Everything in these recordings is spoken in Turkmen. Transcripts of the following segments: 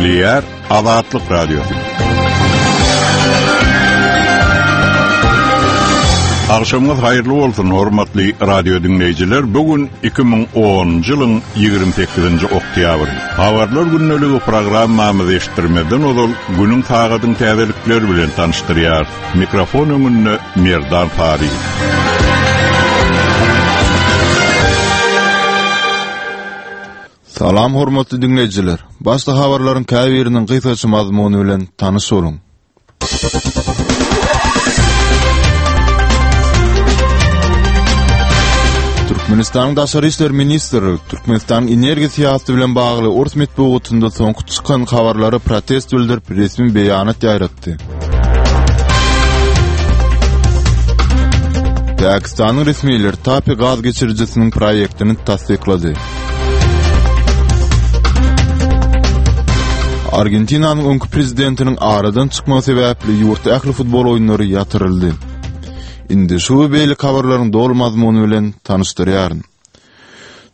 Gepleýär Azatlyk Radiosy. Agşamyňyz haýyrly bolsun, hormatly radio diňleýjiler. Bu gün 2010-njy ýylyň 28-nji oktýabry. Habarlar gündeligi programmamyzy eşitdirmezden ozal, günüň sagadyň täzelikleri bilen tanyşdyrýarys. Mikrofon öňünde Merdan Saryýew. Salam hormatly diňleýjiler! Başda habarlaryň käbiriniň gysgaça mazmuny bilen tanyş boluň. Türkmenistanyň Daşary işler ministrligi Türkmenistanyň energiýa syýasaty bilen bagly ors metbugatynda soňky çykan habarlara protest bildirip, resmi beýanat ýaýratdy. Pakistanyň resmileri TAPI gaz geçirijisiniň proýektini tassyklady. Argentinanyň öňki prezidentiniň aradan çykmagy sebäpli ýurtda ähli futbol oýunlary ýatyryldy. Indi şu we beýleki habarlaryň doly mazmuny bilen tanyşdyrýaryn.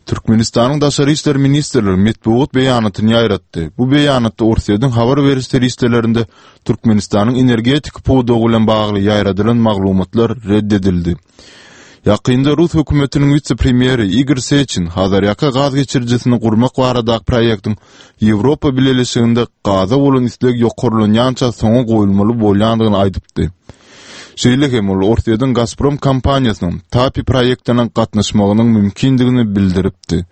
Türkmenistanyň Daşary işler ministrligi metbugat beýanatyny ýaýratdy. Bu beýanatda Orsýetiň habar beriş serişdelerinde Türkmenistanyň energetika pudagy bilen bagly ýaýradylan maglumatlar red edildi. Ýakynda rus hökümetiniň wise-premýeri Igor Seçin Hazarýaka gaz geçirijisini gurmak baradaky proýektiň Ýewropa Bileleşiginde gaza bolan isleg ýokarlanýança soňa goýulmaly bolýandygyny aýdypdy. Şeýle hem ol Orsýetiň Gazprom kompaniýasynyň TAPI proýektine gatnaşmagynyň mümkindigini bildiripdi.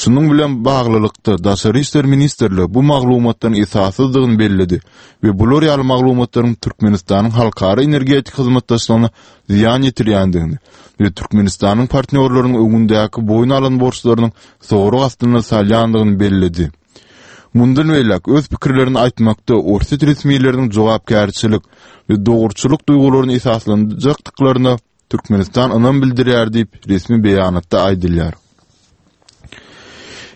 Şunuň bilen baglylykda, Daşary işler ministrligi bu maglumatlaryň esassyzdygyny belledi we bular ýaly maglumatlaryň Türkmenistanyň halkara energetika hyzmatdaşlygyna zyýan ýetirýändigini we Türkmenistanyň partnýorlarynyň öňündäki boýun alan borçlarynyň sorag astyna salýandygyny belledi. Mundan beýläk öz pikirlerini aýtmakda orsýet resmileriniň jogapkärçilik we dogruçyllyk duýgularyny esaslanjakdyklaryna Türkmenistan ynam bildirýär diýip, resmi beýanatda aýdylýar.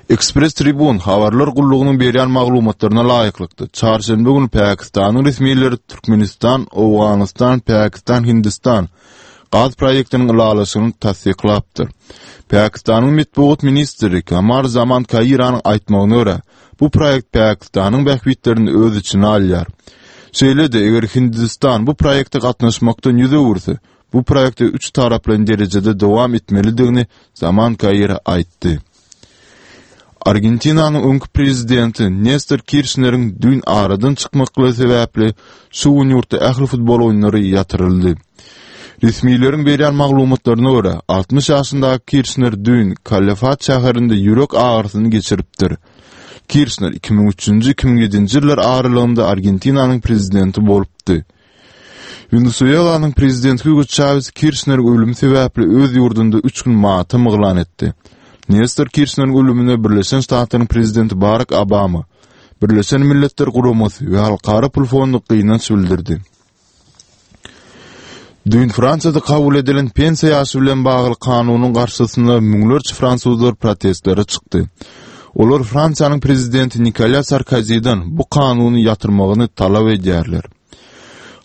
Express Tribune habarlar gullugynyň berýän maglumatlaryna laýyklykda, çarşenbe güni Pakistanyň resmileri Türkmenistan, Owganystan, Pakistan, Hindistan gaz proýektiniň ylalaşygyny tassyklapdyr. Pakistanyň metbugat ministri Kamar Zaman Kairanyň aýtmagyna görä, bu proýekt Pakistanyň bähbitlerini öz içine alýar. Şeýle-de, eger Hindistan bu proýekte gatnaşmakdan ýüz öwürse, bu proýekte üç taraplaýyn derejede dowam etmelidigini Zaman Kaira aýtdy. Argentinanyň öňki prezidenti Nestor Kirşneriň düýn aradan çykmaklygy sebäpli şu gün ýurtda ähli futbol oýunlary ýatyryldy. Resmileriň berýän maglumatlaryna görä, 60 ýaşyndaky Kirşner düýn Kalefat şäherinde ýürek agyrysyny geçiripdir. Kirşner 2003-nji, 2007-nji ýyllar aralygynda Argentinanyň prezidenti bolupdy. Wenesuelanyň prezidenti Hugo Çawes Kirşneriň ölümi sebäpli öz ýurdunda üç gün matam yglan etdi. Nestor Kirşneriň ölümine Birleşen Ştatlaryň prezidenti Barak Obama, Birleşen Milletler Guramasy we Halkara pul fondy gynanç bildirdi. Düýn Fransiýada kabul edilen pensiýa ýaşy bilen bagly kanunyň garşysyna müňlerçe fransuzlar protestlere çykdy. Olar Fransiýanyň prezidenti Nikolýa Sarkoziden bu kanuny ýatyrmagyny talap edýärler.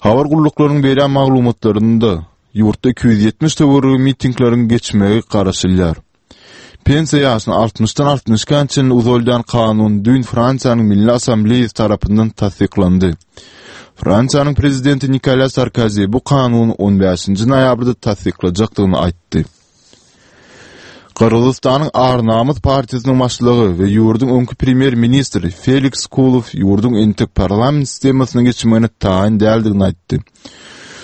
Habar gulluklarynyň berýän maglumatlarynda, ýurtda 270 töweregi mitingleriň geçmegi garaşylýar. Pensiýa ýaşyny altmyşdan altmyş ikä çenli uzaldýan kanun düýn Fransiýanyň Milli Assambleýasy tarapyndan tassyklandy. Fransiýanyň prezidenti Nikolýa Sarkozi bu kanuny on bäşinji noýabrda tassyklajakdygyny aýtdy. Gyrgyzystanyň Ar-Namys partiýasynyň başlygy we ýurduň öňki premýer-ministri Feliks Kulow ýurduň entek parlament sistemasyna geçmegine taýyn däldigini aýtdy.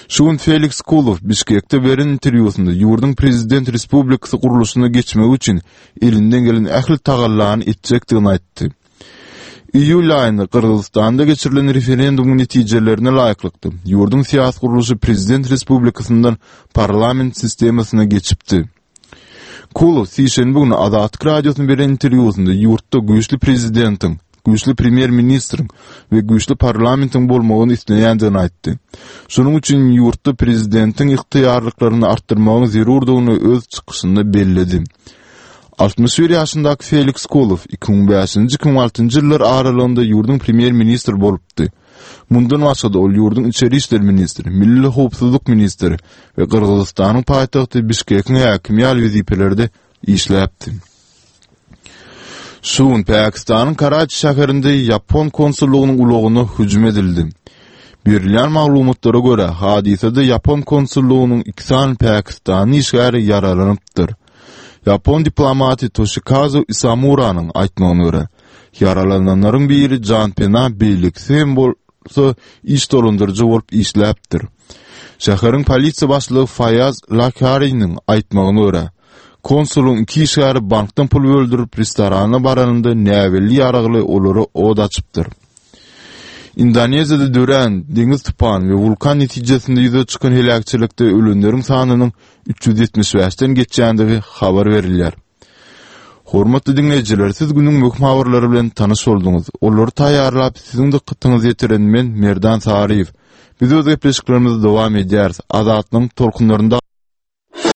Şu gün Feliks Kulow Bişkekde beren interwýusynda ýurduň prezident respublikasy gurluşyna geçmegi üçin elinden gelen ähli tagallany etjekdigini aýtdy. Iýul aýynda Gyrgyzystanda geçirilen referendumyň netijelerine laýyklykda, ýurduň syýasy gurluşy prezident respublikasyndan parlament sistemasyna geçipdi. Kulow sişenbe güni Azatlyk Radiosyna beren interwýusynda ýurtda güýçli prezidentiň, güýçli premýer-ministriň we güýçli parlamentiň bolmagyny isleýändigini aýtdy. Şonuň üçin ýurtda prezidentiň ygtyýarlyklaryny artdyrmagyň zerurdygyny öz çykyşynda belledi. 61 ýaşyndaky Feliks Kulow 2005-nji, 2006-njy ýyllar aralygynda ýurduň premýer-ministri bolupdy. Mundan başga-da, ol ýurduň içeri işler ministri, milli howpsuzlyk ministri we Gyrgyzystanyň paýtagty Bişkekiň häkimi ýaly wezipelerde işläpdi. Şu gün Pakistanyň Karaçi şäherinde ýapon konsullygynyň ulagyna hüjüm edildi. Berilýän maglumatlara görä, hadysada ýapon konsullygynyň iki sany pakistanly işgäri ýaralanypdyr. Ýapon diplomaty Toşikazu Isamuranyň aýtmagyna görä, ýaralananlaryň biri janpena, beýlekisi hem bolsa iş dolandyryjy bolup işläpdir. Şäheriň polisiýa başlygy Faýaz Lakhariniň aýtmagyna görä, konsulyň iki işgäri bankdan pul böldürip restorana baranynda näbelli ýaragly olara od açypdyr. Indoneziýada dörän deňiz tupany we wulkan netijesinde ýüze çykan heläkçilikde ölenleriň sanynyň 375-den geçýändigi habar berilýär. Hormatly diňleýjiler, siz günüň möhüm habarlary bilen tanyş bolduňyz. Olary taýýarlap, siziň dykgatyňyza ýetiren men, Merdan Saryýew. Biz öz gepleşiklerimizi dowam edýäris. Azatlygyň tolkunlarynda.